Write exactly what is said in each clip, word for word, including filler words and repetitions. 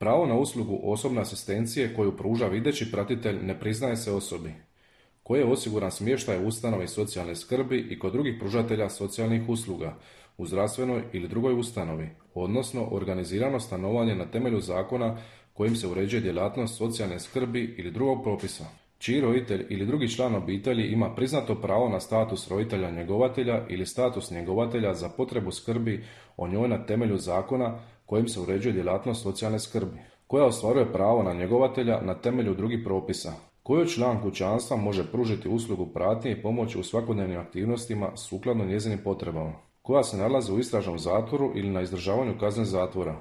Pravo na uslugu osobne asistencije koju pruža videći pratitelj ne priznaje se osobi koje je osiguran smještaj u ustanovi socijalne skrbi i kod drugih pružatelja socijalnih usluga u zdravstvenoj ili drugoj ustanovi, odnosno organizirano stanovanje na temelju zakona kojim se uređuje djelatnost socijalne skrbi ili drugog propisa, čiji roditelj ili drugi član obitelji ima priznato pravo na status roditelja njegovatelja ili status njegovatelja za potrebu skrbi o njoj na temelju zakona kojim se uređuje djelatnost socijalne skrbi, koja ostvaruje pravo na njegovatelja na temelju drugih propisa, koji član kućanstva može pružiti uslugu pratnje i pomoći u svakodnevnim aktivnostima sukladno njezinim potrebama, koja se nalazi u istražnom zatvoru ili na izdržavanju kazne zatvora,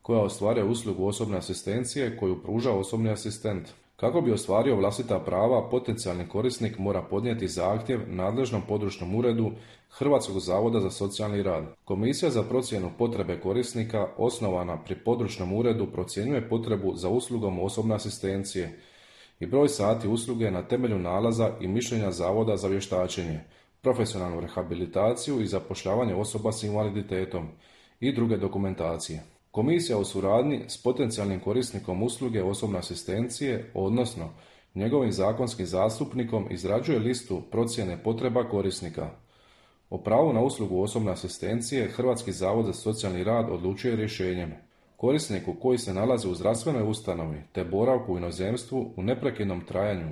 koja ostvaruje uslugu osobne asistencije koju pruža osobni asistent. Kako bi ostvario vlastita prava, potencijalni korisnik mora podnijeti zahtjev nadležnom područnom uredu Hrvatskog zavoda za socijalni rad. Komisija za procjenu potrebe korisnika osnovana pri područnom uredu procjenjuje potrebu za uslugom osobne asistencije i broj sati usluge na temelju nalaza i mišljenja Zavoda za vještačenje, profesionalnu rehabilitaciju i zapošljavanje osoba s invaliditetom i druge dokumentacije. Komisija u suradnji s potencijalnim korisnikom usluge osobne asistencije, odnosno njegovim zakonskim zastupnikom, izrađuje listu procjene potreba korisnika. O pravu na uslugu osobne asistencije Hrvatski zavod za socijalni rad odlučuje rješenjem. Korisniku koji se nalazi u zdravstvenoj ustanovi te boravku u inozemstvu u neprekidnom trajanju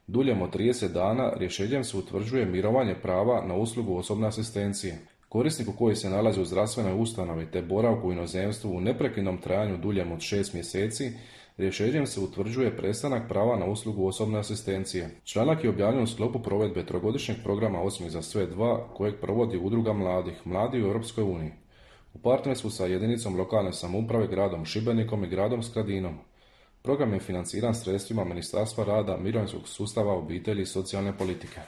duljem od trideset dana rješenjem se utvrđuje mirovanje prava na uslugu osobne asistencije. Korisniku koji se nalazi u zdravstvenoj ustanovi te boravku u inozemstvu u neprekidnom trajanju duljem od šest mjeseci rješenjem se utvrđuje prestanak prava na uslugu osobne asistencije. Članak je objavljen u sklopu provedbe trogodišnjeg programa Osmih za sve dva kojeg provodi Udruga mladih, Mladi u Europskoj uniji, u partnerstvu sa jedinicom lokalne samouprave gradom Šibenikom i gradom Skradinom. Program je financiran sredstvima Ministarstva rada, mirovinskog sustava, obitelji i socijalne politike.